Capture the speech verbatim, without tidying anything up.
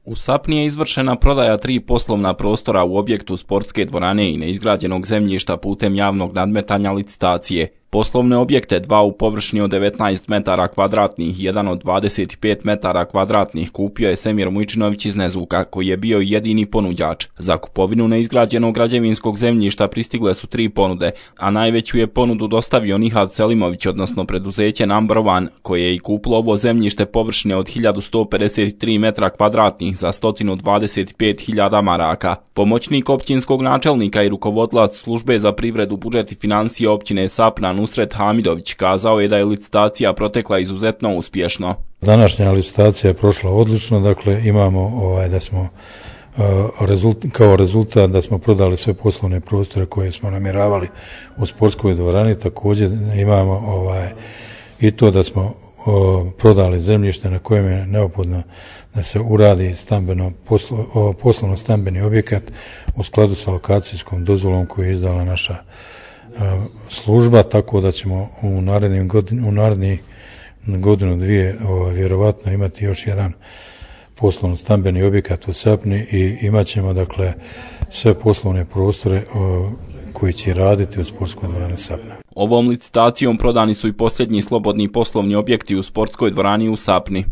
U Sapni je izvršena prodaja tri poslovna prostora u objektu sportske dvorane i neizgrađenog zemljišta putem javnog nadmetanja licitacije. Poslovne objekte, dva u površini od devetnaest metara kvadratnih i jedan od dvadeset pet metara kvadratnih, kupio je Semir Mujčinović iz Nezuka, koji je bio jedini ponuđač. Za kupovinu neizgrađenog građevinskog zemljišta pristigle su tri ponude, a najveću je ponudu dostavio Nihad Selimović, odnosno preduzeće Number One, koje je i kupilo ovo zemljište površine od hiljadu sto pedeset tri metra kvadratnih za sto dvadeset pet hiljada maraka. Pomoćnik općinskog načelnika i rukovodilac službe za privredu, budžet i financije općine Sapna Nusret Hamidović kazao je da je licitacija protekla izuzetno uspješno. Današnja licitacija je prošla odlično, dakle imamo ovaj, da smo uh, rezult, kao rezultat da smo prodali sve poslovne prostore koje smo namjeravali u sportskoj dvorani. Također imamo ovaj, i to da smo uh, prodali zemljište na kojem je neophodno da se uradi stambeno poslo, uh, poslovno stambeni objekat u skladu sa lokacijskom dozvolom koju je izdala naša služba, tako da ćemo u narednim godin, u narednih godinu dvije o, vjerovatno imati još jedan poslovno stambeni objekat u Sapni i imat ćemo dakle sve poslovne prostore o, koji će raditi u sportskoj dvorani Sapna. Ovom licitacijom prodani su i posljednji slobodni poslovni objekti u sportskoj dvorani u Sapni.